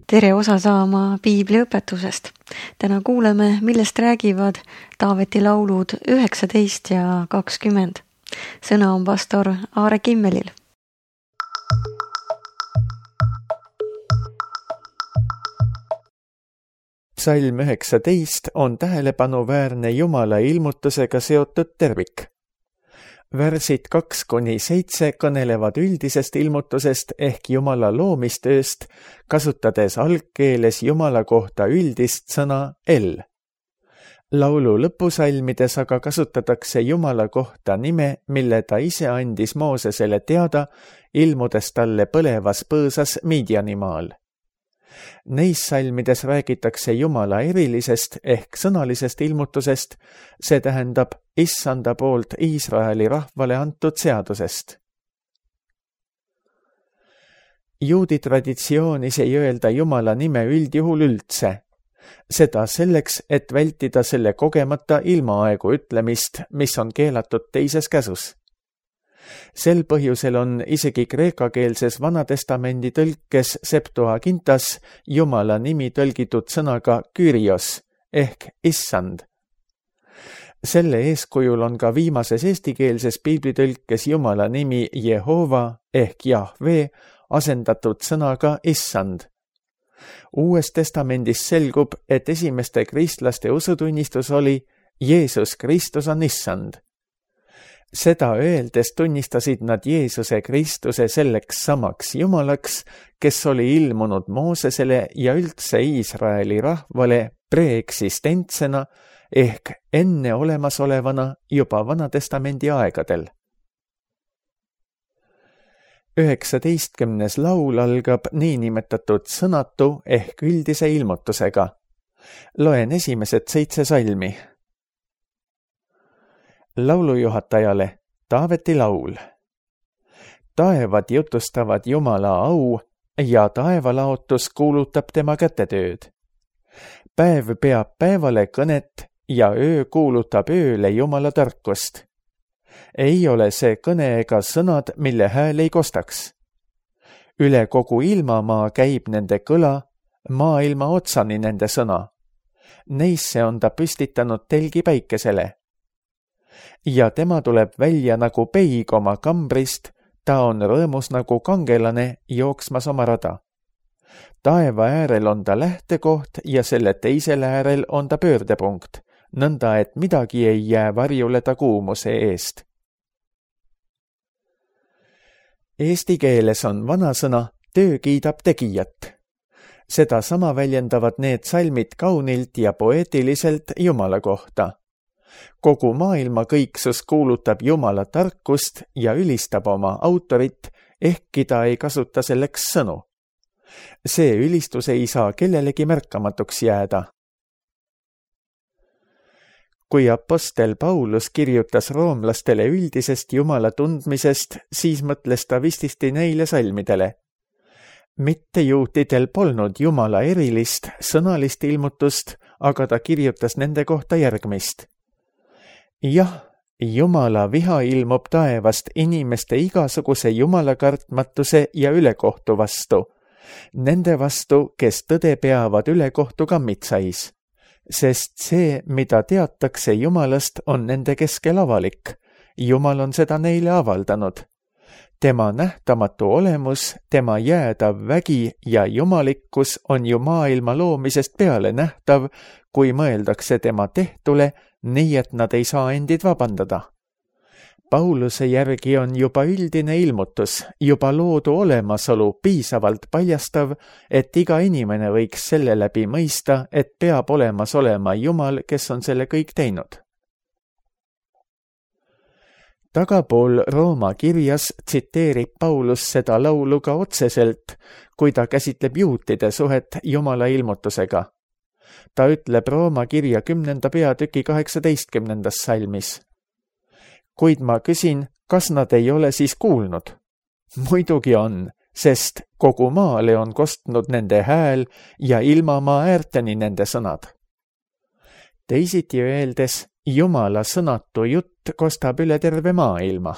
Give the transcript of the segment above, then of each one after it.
Tere osa saama piibliõpetusest. Täna kuuleme, millest räägivad Taaveti laulud 19 ja 20. Sõna on pastor Aare Kimmelil. Psalm 19 on tähelepanuväärne Jumala ilmutusega seotud tervik. Värsid 2-7 kõnelevad üldisest ilmutusest ehk Jumala loomistööst, kasutades algkeeles Jumala kohta üldist sõna El. Laulu lõpusalmides aga kasutatakse Jumala kohta nime, mille ta ise andis Moosesele teada, ilmudes talle põlevas põõsas Midianimaal. Neis salmides räägitakse Jumala erilisest ehk sõnalisest ilmutusest, see tähendab Issanda poolt Iisraeli rahvale antud seadusest. Juudi traditsioonis ei öelda Jumala nime üldjuhul üldse. Seda selleks, et vältida selle kogemata ilmaaegu ütlemist, mis on keelatud teises käsus. Sel põhjusel on isegi kreekakeelses Vanatestamendi tõlkes Septuagintas Jumala nimi tõlgitud sõnaga Kyrios ehk Issand. Selle eeskujul on ka viimases eestikeelses piiblitõlkes Jumala nimi Jehova ehk Jahve asendatud sõnaga Issand. Uues testamendis selgub, et esimeste kristlaste usutunnistus oli Jeesus Kristus on Issand. Seda öeldes tunnistasid nad Jeesuse Kristuse selleks samaks Jumalaks, kes oli ilmunud Moosesele ja üldse Iisraeli rahvale preeksistentsena ehk enne olemasolevana juba Vanatestamendi aegadel. 19. laul algab niinimetatud sõnatu ehk üldise ilmutusega. Loen esimesed 7 salmi. Laulujuhatajale Taaveti laul. Taevad jutustavad Jumala au ja taevalaotus kuulutab tema kätetööd. Päev peab päevale kõnet ja öö kuulutab ööle Jumala tarkust. Ei ole see kõne ega sõnad, mille hääl ei kostaks. Üle kogu ilmamaa käib nende kõla, maailma otsani nende sõna. Neisse on ta püstitanud telgi päikesele. Ja tema tuleb välja nagu peig oma kambrist, ta on rõõmus nagu kangelane jooksmas oma rada. Taeva äärel on ta lähtekoht ja selle teisel äärel on ta pöördepunkt, nõnda et midagi ei jää varjule ta kuumuse eest. Eesti keeles on vanasõna töö kiidab tegijat. Seda sama väljendavad need salmid kaunilt ja poeetiliselt Jumala kohta. Kogu maailma kõiksus kuulutab Jumala tarkust ja ülistab oma autorit, ehkki ta ei kasuta selleks sõnu. See ülistus ei saa kellelegi märkamatuks jääda. Kui apostel Paulus kirjutas roomlastele üldisest Jumala tundmisest, siis mõtles ta vististi neile salmidele. Mitte juutidel polnud Jumala erilist, sõnalist ilmutust, aga ta kirjutas nende kohta järgmist. Jah, Jumala viha ilmub taevast inimeste igasuguse Jumala kartmatuse ja ülekohtu vastu. Nende vastu, kes tõde peavad ülekohtu kammitsais. Sest see, mida teatakse Jumalast, on nende keskel avalik. Jumal on seda neile avaldanud. Tema nähtamatu olemus, tema jäädav vägi ja jumalikkus on ju maailma loomisest peale nähtav, kui mõeldakse tema tehtule, nii et nad ei saa endid vabandada. Pauluse järgi on juba üldine ilmutus, juba loodu olemasolu piisavalt paljastav, et iga inimene võiks selle läbi mõista, et peab olemas olema Jumal, kes on selle kõik teinud. Tagapool Rooma kirjas tsiteerib Paulus seda laulu ka otseselt, kui ta käsitleb juutide suhet Jumala ilmutusega. Ta ütleb Rooma kirja 10. peatüki 18. salmis. Kuid ma küsin, kas nad ei ole siis kuulnud? Muidugi on, sest kogu maale on kostnud nende hääl ja ilmamaa äärteni nende sõnad. Teisiti öeldes, Jumala sõnatu jutt kostab üle terve maailma.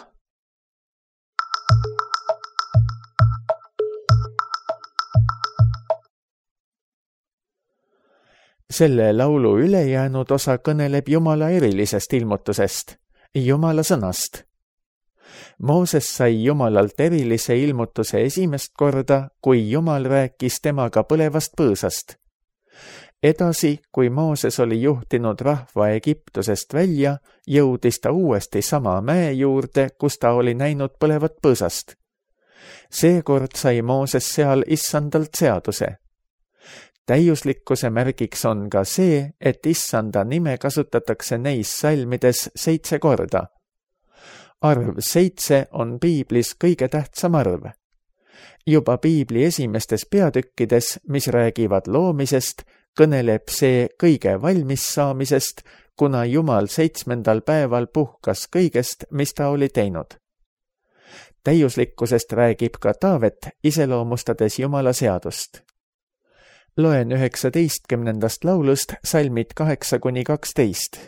Selle laulu ülejäänud osa kõneleb Jumala erilisest ilmutusest, Jumala sõnast. Mooses sai Jumalalt erilise ilmutuse esimest korda, kui Jumal rääkis temaga põlevast põõsast. Edasi, kui Mooses oli juhtinud rahva Egiptusest välja, jõudis ta uuesti sama mäe juurde, kus ta oli näinud põlevat põõsast. Seekord sai Mooses seal issandalt seaduse. Täiuslikkuse märgiks on ka see, et issanda nime kasutatakse neis salmides 7 korda. Arv 7 on piiblis kõige tähtsam arv. Juba piibli esimestes peatükkides, mis räägivad loomisest, kõneleb see kõige valmis saamisest, kuna Jumal 7. päeval puhkas kõigest, mis ta oli teinud. Täiuslikkusest räägib ka Taavet, iseloomustades Jumala seadust. Loen 19. laulust salmid 8-12.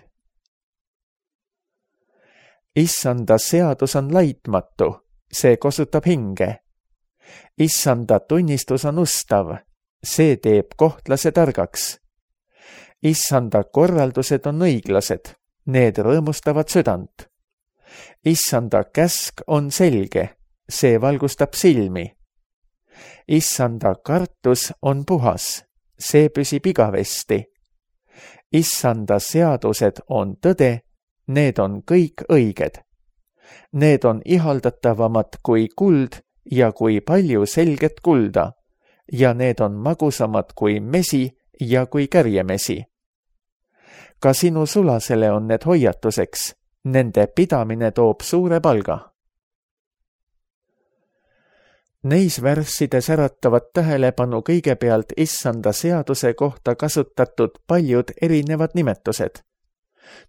Issanda seadus on laitmatu, see kosutab hinge. Issanda tunnistus on ustav, see teeb kohtlase targaks. Issanda korraldused on õiglased, need rõõmustavad südant. Issanda käsk on selge, see valgustab silmi. Issanda kartus on puhas, see püsib igavesti. Issanda seadused on tõde, need on kõik õiged. Need on ihaldatavamad kui kuld ja kui palju selget kulda, ja need on magusamad kui mesi ja kui kärjemesi. Ka sinu sulasele on need hoiatuseks, nende pidamine toob suure palga. Neis värssides äratavad tähelepanu kõigepealt issanda seaduse kohta kasutatud paljud erinevad nimetused.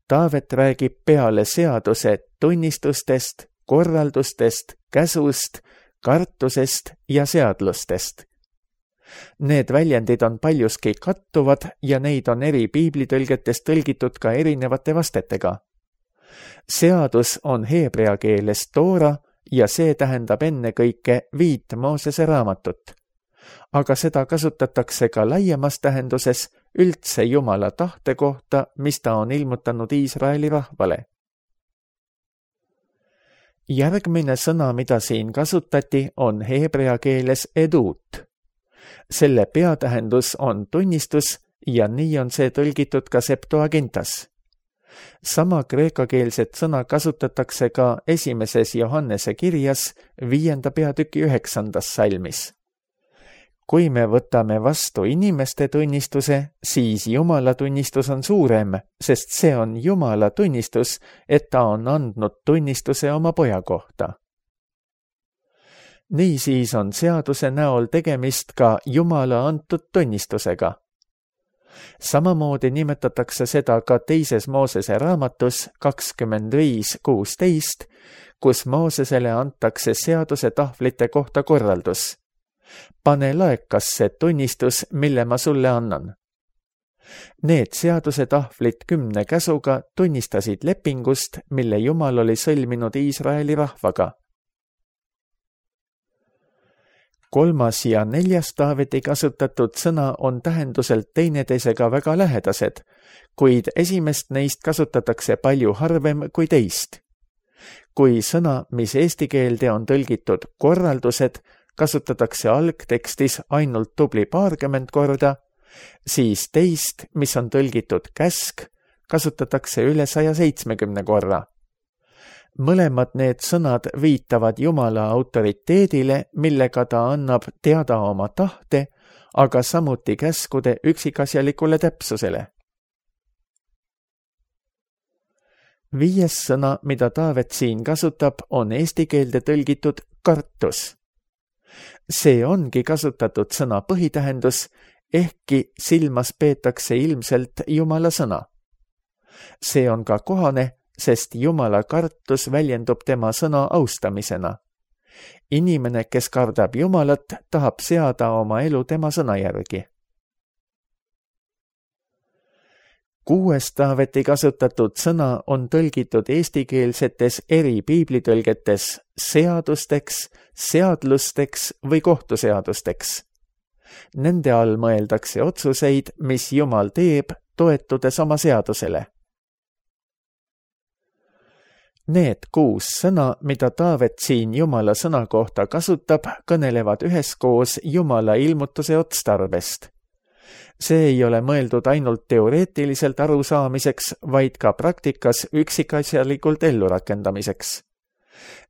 Taavet räägib peale seaduse tunnistustest, korraldustest, käsust, kartusest ja seadlustest. Need väljendid on paljuski kattuvad ja neid on eri piiblitõlgetes tõlgitud ka erinevate vastetega. Seadus on heebrea keeles Toora ja see tähendab ennekõike 5 Moosese raamatut. Aga seda kasutatakse ka laiemas tähenduses üldse Jumala tahte kohta, mis ta on ilmutanud Iisraeli rahvale. Järgmine sõna, mida siin kasutati, on heebrea keeles edut. Selle peatähendus on tunnistus ja nii on see tõlgitud ka Septuagintas. Sama kreekakeelset sõna kasutatakse ka 1. Johannese kirjas 5. peatüki 9. salmis. Kui me võtame vastu inimeste tunnistuse, siis Jumala tunnistus on suurem, sest see on Jumala tunnistus, et ta on andnud tunnistuse oma poja kohta. Niisiis on seaduse näol tegemist ka Jumala antud tunnistusega. Samamoodi nimetatakse seda ka 2. Moosese raamatus 25:16, kus Moosesele antakse seaduse tahvlite kohta korraldus. Pane laekasse tunnistus, mille ma sulle annan. Need seaduse tahvlid 10 käsuga tunnistasid lepingust, mille Jumal oli sõlminud Iisraeli rahvaga. 3. ja 4. Taaveti kasutatud sõna on tähenduselt teineteisega väga lähedased, kuid esimest neist kasutatakse palju harvem kui teist. Kui sõna, mis eesti keelde on tõlgitud korraldused, kasutatakse algtekstis ainult tubli 20 korda, siis teist, mis on tõlgitud käsk, kasutatakse üle 170 korra. Mõlemad need sõnad viitavad Jumala autoriteedile, millega ta annab teada oma tahte, aga samuti käskude üksikasjalikule täpsusele. 5. sõna, mida Taavet siin kasutab, on eesti keelde tõlgitud kartus. See ongi kasutatud sõna põhitähendus, ehkki silmas peetakse ilmselt Jumala sõna. See on ka kohane, sest Jumala kartus väljendub tema sõna austamisena. Inimene, kes kardab Jumalat, tahab seada oma elu tema sõna järgi. 6. Taaveti kasutatud sõna on tõlgitud eestikeelsetes eri piiblitõlgetes seadusteks, seadlusteks või kohtuseadusteks. Nende all mõeldakse otsuseid, mis Jumal teeb, toetudes oma seadusele. Need 6 sõna, mida Taavet siin Jumala sõna kohta kasutab, kõnelevad üheskoos Jumala ilmutuse otstarbest. See ei ole mõeldud ainult teoreetiliselt arusaamiseks, vaid ka praktikas üksikasjalikult ellurakendamiseks.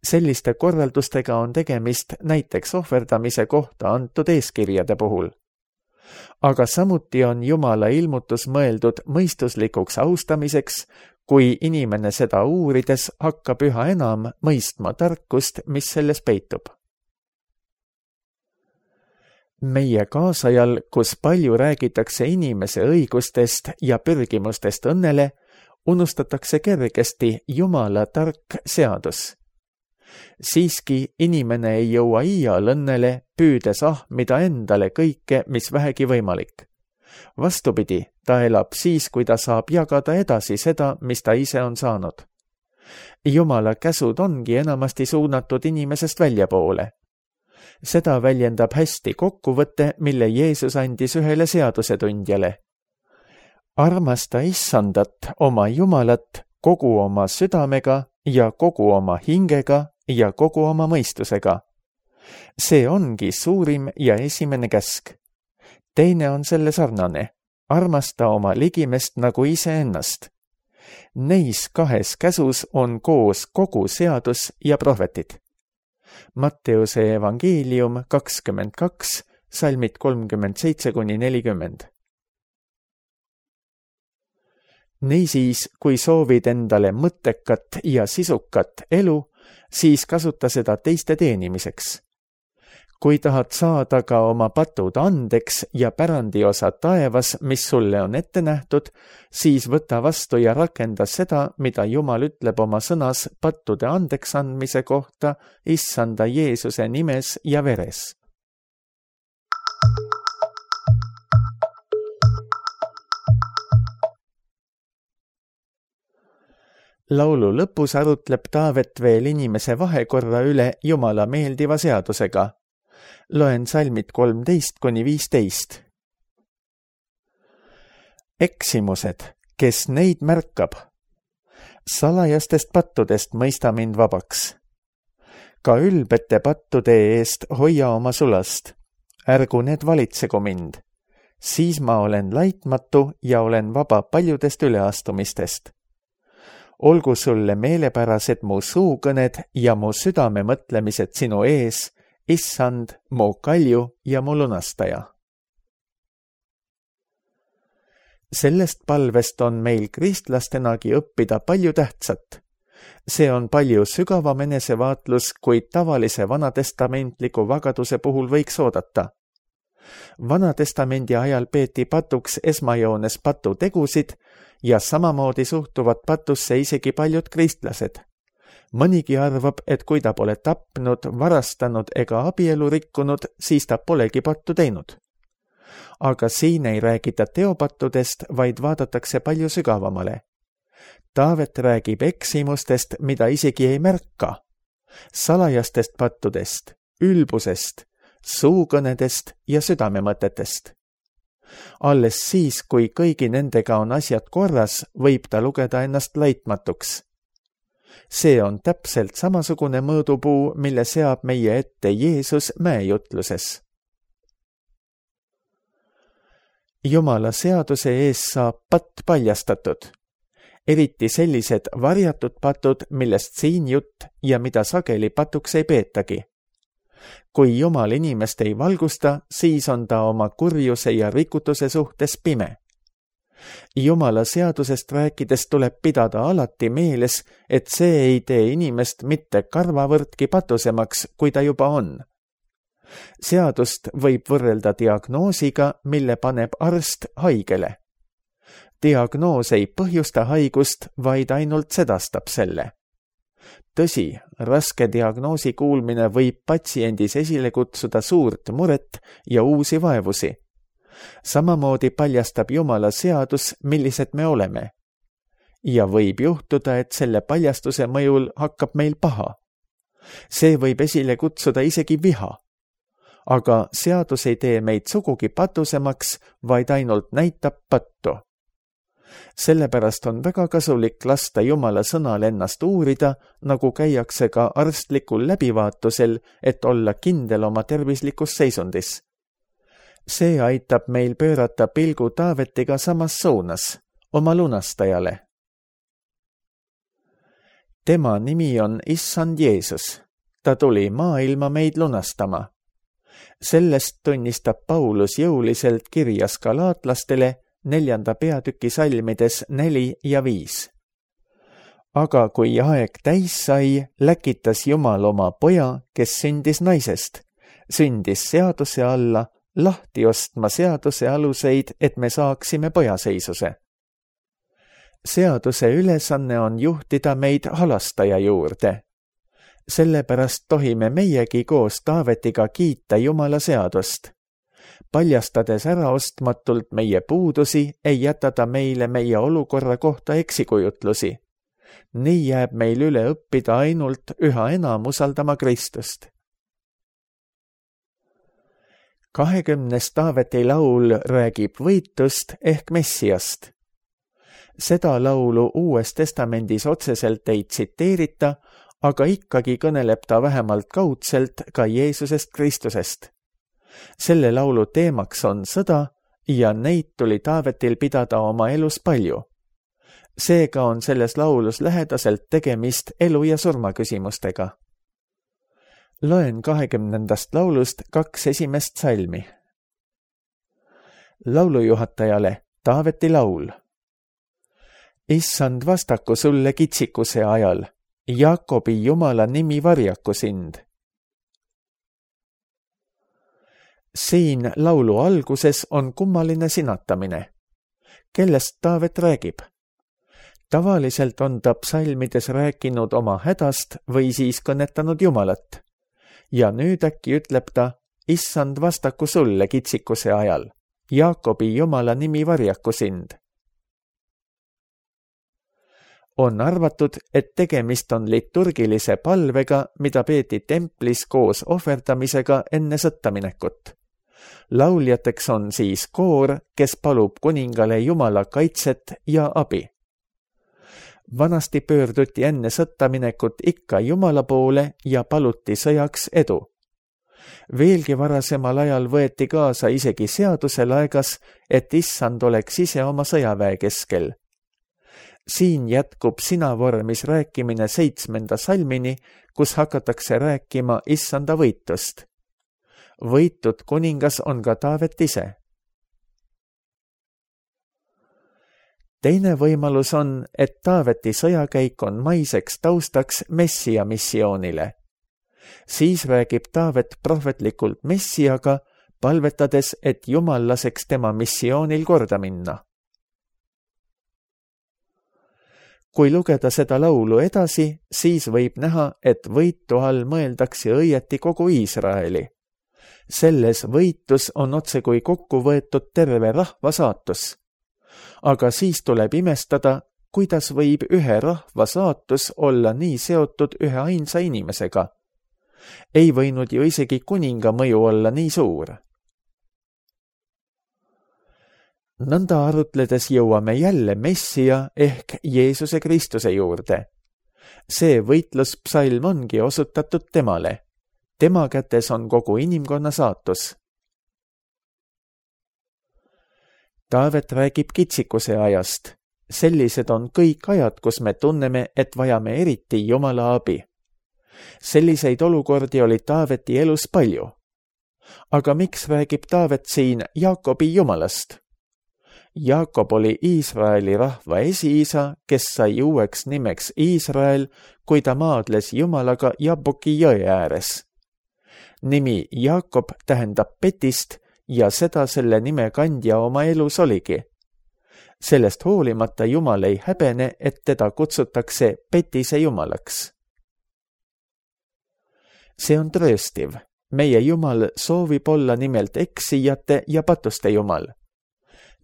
Selliste korraldustega on tegemist näiteks ohverdamise kohta antud eeskirjade puhul. Aga samuti on Jumala ilmutus mõeldud mõistuslikuks austamiseks, kui inimene seda uurides hakkab üha enam mõistma tarkust, mis selles peitub. Meie kaasajal, kus palju räägitakse inimese õigustest ja pürgimustest õnnele, unustatakse kergesti Jumala tark seadus. Siiski inimene ei jõua iial õnnele, püüdes ahmida endale kõike, mis vähegi võimalik. Vastupidi, ta elab siis, kui ta saab jagada edasi seda, mis ta ise on saanud. Jumala käsud ongi enamasti suunatud inimesest väljapoole. Seda väljendab hästi kokkuvõte, mille Jeesus andis ühele seadusetundjale. Armasta Issandat, oma Jumalat, kogu oma südamega ja kogu oma hingega ja kogu oma mõistusega. See ongi suurim ja esimene käsk. Teine on selle sarnane. Armasta oma ligimest nagu iseennast. Neis 2 käsus on koos kogu seadus ja prohvetid. Matteuse evangeelium 22, salmid 37-40. Niisiis, kui soovid endale mõttekat ja sisukat elu, siis kasuta seda teiste teenimiseks. Kui tahad saada ka oma patud andeks ja pärandiosa taevas, mis sulle on ette nähtud, siis võta vastu ja rakenda seda, mida Jumal ütleb oma sõnas pattude andeks andmise kohta Issanda Jeesuse nimes ja veres. Laulu lõpus arutleb Taavet veel inimese vahekorra üle Jumala meeldiva seadusega. Loen salmid 13-15. Eksimused, kes neid märkab. Salajastest pattudest mõista mind vabaks. Ka ülbete pattude eest hoia oma sulast. Ärgu need valitsegu mind. Siis ma olen laitmatu ja olen vaba paljudest üleastumistest. Olgu sulle meelepärased mu suukõned ja mu südame mõtlemised sinu ees, Issand, mu kalju ja mu lunastaja. Sellest palvest on meil kristlastenagi õppida palju tähtsat. See on palju sügavam enesevaatlus, kui tavalise vanatestamentliku vagaduse puhul võiks oodata. Vanatestamendi ajal peeti patuks esmajoones patutegusid ja samamoodi suhtuvad patusse isegi paljud kristlased. Mõnigi arvab, et kui ta pole tapnud, varastanud ega abielu rikkunud, siis ta polegi pattu teinud. Aga siin ei räägita teopattudest, vaid vaadatakse palju sügavamale. Taavet räägib eksimustest, mida isegi ei märka. Salajastest pattudest, ülbusest, suukõnedest ja südamemõtetest. Alles siis, kui kõigi nendega on asjad korras, võib ta lugeda ennast laitmatuks. See on täpselt samasugune mõõdupuu, mille seab meie ette Jeesus mäejutluses. Jumala seaduse ees saab patt paljastatud, eriti sellised varjatud patud, millest siin jutt ja mida sageli patuks ei peetagi. Kui Jumal inimest ei valgusta, siis on ta oma kurjuse ja rikutuse suhtes pime. Jumala seadusest rääkides tuleb pidada alati meeles, et see ei tee inimest mitte karvavõrdki patusemaks, kui ta juba on. Seadust võib võrrelda diagnoosiga, mille paneb arst haigele. Diagnoos ei põhjusta haigust, vaid ainult sedastab selle. Tõsi, raske diagnoosi kuulmine võib patsiendis esile kutsuda suurt muret ja uusi vaevusi. Samamoodi paljastab Jumala seadus, millised me oleme. Ja võib juhtuda, et selle paljastuse mõjul hakkab meil paha. See võib esile kutsuda isegi viha. aga seadus ei tee meid sugugi patusemaks, vaid ainult näitab pattu. Sellepärast on väga kasulik lasta Jumala sõnal ennast uurida, nagu käiakse ka arstlikul läbivaatusel, et olla kindel oma tervislikus seisundis. See aitab meil pöörata pilgu Taavetiga samas suunas, oma lunastajale. Tema nimi on Issand Jeesus. Ta tuli maailma meid lunastama. Sellest tunnistab Paulus jõuliselt kirjas galaatlastele 4. peatüki salmides 4 ja 5. Aga kui aeg täis sai, läkitas Jumal oma poja, kes sündis naisest, sündis seaduse alla, lahti ostma seaduse aluseid, et me saaksime pojaseisuse. Seaduse ülesanne on juhtida meid halastaja juurde. Sellepärast tohime meiegi koos Taavetiga kiita Jumala seadust. Paljastades äraostmatult meie puudusi, ei jäta ta meile meie olukorra kohta eksikujutlusi. Nii jääb meil üle õppida ainult üha enam usaldama Kristust. 20. Taaveti laul räägib võitust ehk Messiast. Seda laulu Uues Testamendis otseselt ei tsiteerita, aga ikkagi kõneleb ta vähemalt kaudselt ka Jeesusest Kristusest. Selle laulu teemaks on sõda ja neid tuli Taavetil pidada oma elus palju. Seega on selles laulus lähedaselt tegemist elu- ja surmaküsimustega. Loen 20. laulust 2 esimest salmi. Laulujuhatajale Taaveti laul. Issand, vastaku sulle kitsikuse ajal, Jaakobi Jumala nimi varjaku sind. Siin laulu alguses on kummaline sinatamine. Kellest Taavet räägib? Tavaliselt on ta psalmides rääkinud oma hädast või siis kõnetanud Jumalat. Ja nüüd äkki ütleb ta, Issand, vastaku sulle kitsikuse ajal, Jaakobi Jumala nimi varjaku sind. On arvatud, et tegemist on liturgilise palvega, mida peeti templis koos ohverdamisega enne sõttaminekut. Lauljateks on siis koor, kes palub kuningale Jumala kaitset ja abi. Vanasti pöörduti enne sõttaminekut ikka Jumala poole ja paluti sõjaks edu. Veelgi varasemal ajal võeti kaasa isegi seaduse laegas, et Issand oleks ise oma sõjaväe keskel. Siin jätkub sinavormis rääkimine 7. salmini, kus hakatakse rääkima Issanda võitust. Võitud kuningas on ka Taavet ise. Teine võimalus on, et Taaveti sõjakäik on maiseks taustaks Messia missioonile. Siis räägib Taavet prohvetlikult Messiaga, palvetades, et Jumal laseks tema missioonil korda minna. Kui lugeda seda laulu edasi, siis võib näha, et võitu all mõeldakse õieti kogu Iisraeli. Selles võitus on otsekui kokku võetud terve rahva saatus. Aga siis tuleb imestada, kuidas võib ühe rahva saatus olla nii seotud ühe ainsa inimesega. Ei võinud ju isegi kuninga mõju olla nii suur. Nõnda arutledes jõuame jälle Messia ehk Jeesuse Kristuse juurde. See võitluspsalm ongi osutatud temale. Tema kätes on kogu inimkonna saatus. Taavet räägib kitsikuse ajast. Sellised on kõik ajad, kus me tunneme, et vajame eriti Jumala abi. Selliseid olukordi oli Taaveti elus palju. Aga miks räägib Taavet siin Jaakobi Jumalast? Jaakob oli Iisraeli rahva esiisa, kes sai uueks nimeks Iisrael, kui ta maadles Jumalaga Jaboki jõe ääres. Nimi Jaakob tähendab petist ja seda selle nime kandja oma elus oligi. Sellest hoolimata Jumal ei häbene, et teda kutsutakse petise Jumalaks. See on trööstiv. Meie Jumal soovib olla nimelt eksijate ja patuste Jumal.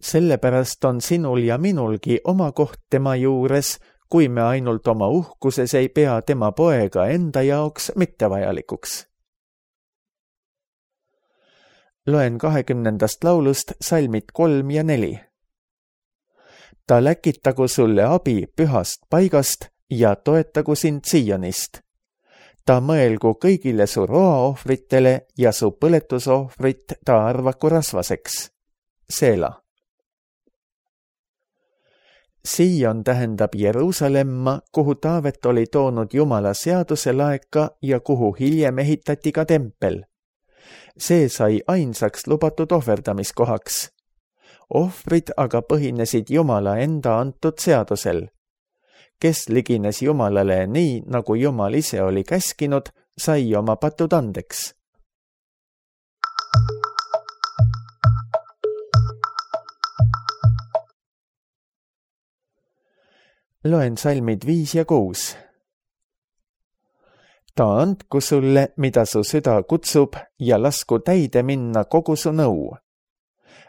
Sellepärast on sinul ja minulgi oma koht tema juures, kui me ainult oma uhkuses ei pea tema poega enda jaoks mittevajalikuks. Loen 20. laulust salmid 3 ja 4. Ta läkitagu sulle abi pühast paigast ja toetagu sind Siionist. Ta mõelgu kõigile su roaohvritele ja su põletusohvrit ta arvaku rasvaseks. Seela. Sion tähendab Jeruusalemma, kuhu Taavet oli toonud Jumala seaduse laeka ja kuhu hiljem ehitati ka tempel. See sai ainsaks lubatud ohverdamiskohaks. Ohvrid aga põhinesid Jumala enda antud seadusel. Kes ligines Jumalale nii, nagu Jumal ise oli käskinud, sai oma patud andeks. Loen salmid 5 ja 6. Ta andku sulle, mida su süda kutsub, ja lasku täide minna kogu su nõu.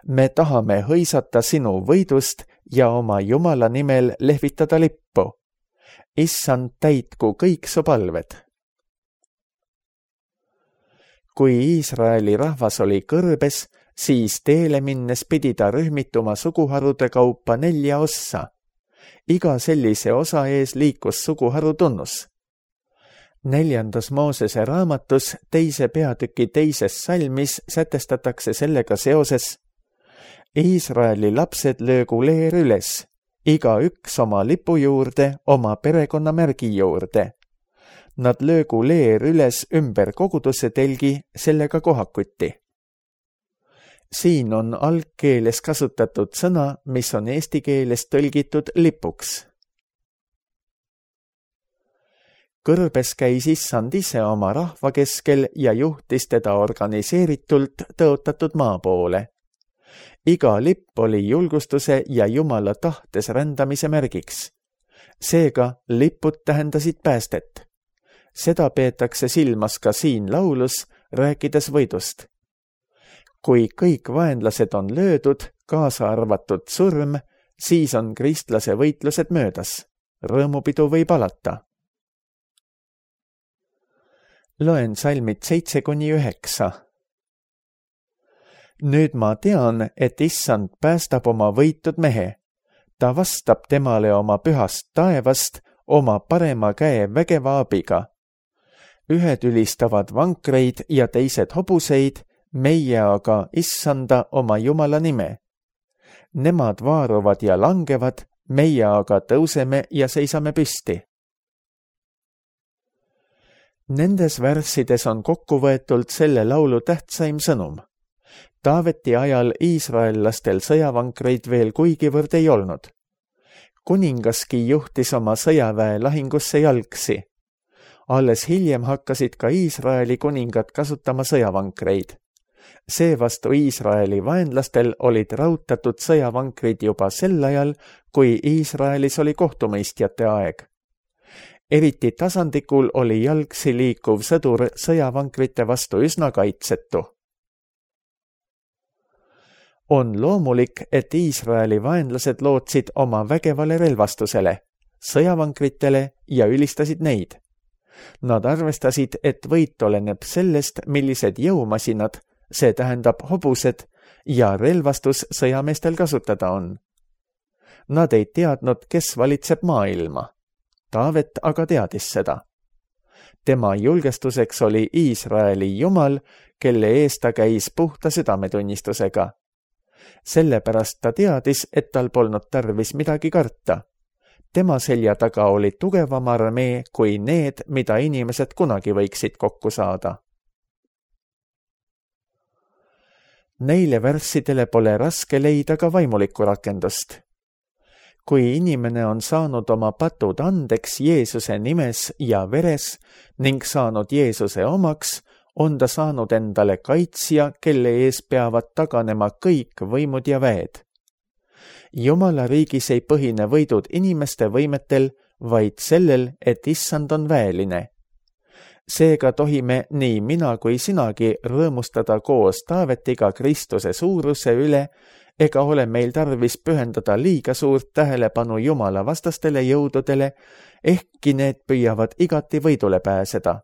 Me tahame hõisata sinu võidust ja oma Jumala nimel lehvitada lippu. Issand, täitku kõik su palved. Kui Iisraeli rahvas oli kõrbes, siis teele minnes pidi ta rühmituma suguharude kaupa 4 ossa. Iga sellise osa ees liikus suguharu tunnus. 4. Moosese raamatus 2. peatüki 2. salmis sätestatakse sellega seoses: Iisraeli lapsed löögu leer üles, iga üks oma lipu juurde, oma perekonnamärgi juurde. Nad löögu leer üles ümber koguduse telgi, sellega kohakuti. Siin on algkeeles kasutatud sõna, mis on eesti keeles tõlgitud lipuks. Kõrbes käis Issand ise oma rahva keskel ja juhtis teda organiseeritult tõotatud maa poole. Iga lipp oli julgustuse ja Jumala tahtes rändamise märgiks. Seega lipud tähendasid päästet. Seda peetakse silmas ka siin laulus, rääkides võidust. Kui kõik vaenlased on löödud, kaasa arvatud surm, siis on kristlase võitlused möödas. Rõõmupidu võib alata. Loen salmid 7-9. Nüüd ma tean, et Issand päästab oma võitud mehe. Ta vastab temale oma pühast taevast, oma parema käe vägeva abiga. Ühed ülistavad vankreid ja teised hobuseid, meie aga Issanda oma Jumala nime. Nemad vaaruvad ja langevad, meie aga tõuseme ja seisame püsti. Nendes värssides on kokkuvõetult selle laulu tähtsaim sõnum. Taaveti ajal iisraellastel sõjavankreid veel kuigivõrd ei olnud. Kuningaski juhtis oma sõjaväe lahingusse jalgsi. Alles hiljem hakkasid ka Iisraeli kuningad kasutama sõjavankreid. Seevastu Iisraeli vaenlastel olid rautatud sõjavankrid juba sel ajal, kui Iisraelis oli kohtumõistjate aeg. Eriti tasandikul oli jalgsi liikuv sõdur sõjavankrite vastu üsna kaitsetu. On loomulik, et Iisraeli vaenlased lootsid oma vägevale relvastusele, sõjavankritele ja ülistasid neid. Nad arvestasid, et võit oleneb sellest, millised jõumasinad, see tähendab hobused, ja relvastus sõjameestel kasutada on. Nad ei teadnud, kes valitseb maailma. Taavet aga teadis seda. Tema julgestuseks oli Iisraeli Jumal, kelle ees ta käis puhta südametunnistusega. Sellepärast ta teadis, et tal polnud tarvis midagi karta. Tema selja taga oli tugevam armee kui need, mida inimesed kunagi võiksid kokku saada. Neile värssidele pole raske leida ka vaimulikku rakendust. Kui inimene on saanud oma patud andeks Jeesuse nimes ja veres ning saanud Jeesuse omaks, on ta saanud endale kaitsja, kelle ees peavad taganema kõik võimud ja väed. Jumala riigis ei põhine võidud inimeste võimetel, vaid sellel, et Issand on väeline. Seega tohime nii mina kui sinagi rõõmustada koos Taavetiga Kristuse suuruse üle, ega ole meil tarvis pühendada liiga suurt tähelepanu Jumala vastastele jõududele, ehkki need püüavad igati võidule pääseda.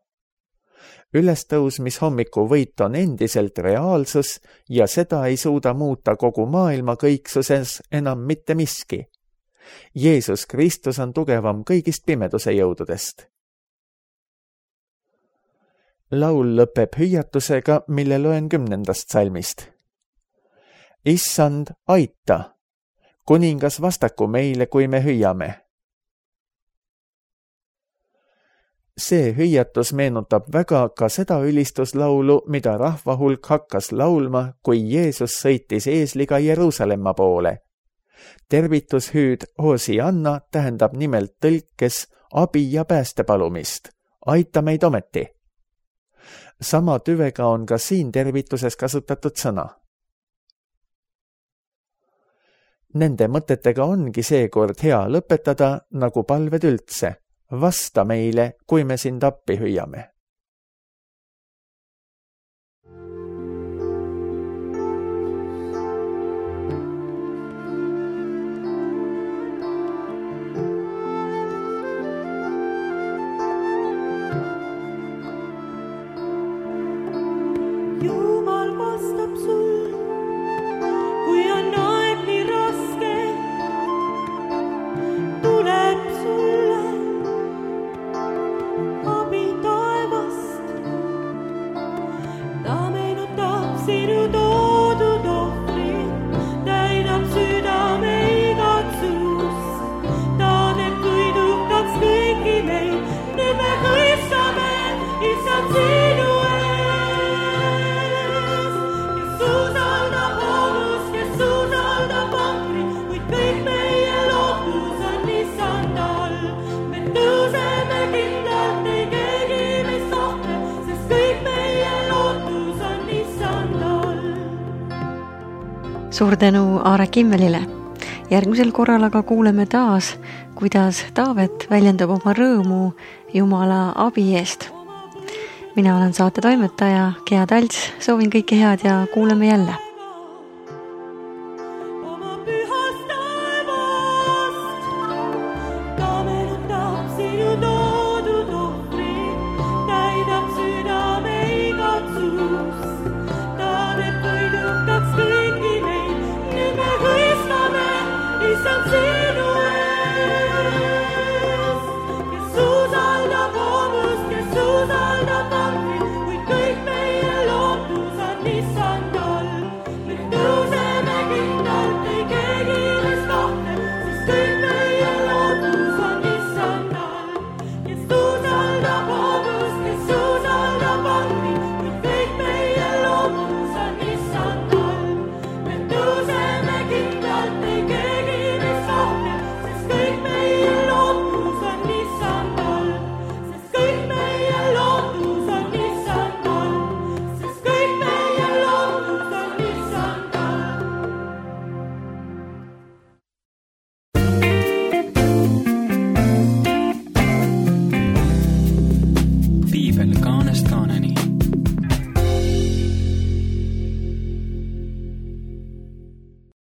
ülestõusmishommiku võit on endiselt reaalsus ja seda ei suuda muuta kogu maailma kõiksuses enam mitte miski. Jeesus Kristus on tugevam kõigist pimeduse jõududest. Laul lõpeb hüüatusega, mille loen 10. salmist. Issand, aita! Kuningas vastaku meile, kui me hüüame. See hüüatus meenutab väga ka seda ülistuslaulu, mida rahva hulk hakkas laulma, kui Jeesus sõitis eesliga Jeruusalemma poole. Tervitushüüd Hosianna tähendab nimelt tõlkes abi ja pääste palumist. Aita meid ometi! Sama tüvega on ka siin tervituses kasutatud sõna. Nende mõtetega ongi seekord hea lõpetada nagu palved üldse. Vasta meile, kui me sind appi hüüame. Jumal vastab sul, kui on aeg nii raske, tuleb sulle abi taevast. Ta meenutab sinu toodud ohvrit, täidab südame igatsust. Ta teeb kõidukaks kõiki meid, nüüd me mõistame, issand sinu Suur tänu Aare Kimmelile. Järgmisel korral aga kuuleme taas, kuidas Taavet väljendab oma rõõmu Jumala abi eest. Mina olen saate toimetaja Gea Talts, soovin kõike head ja kuuleme jälle.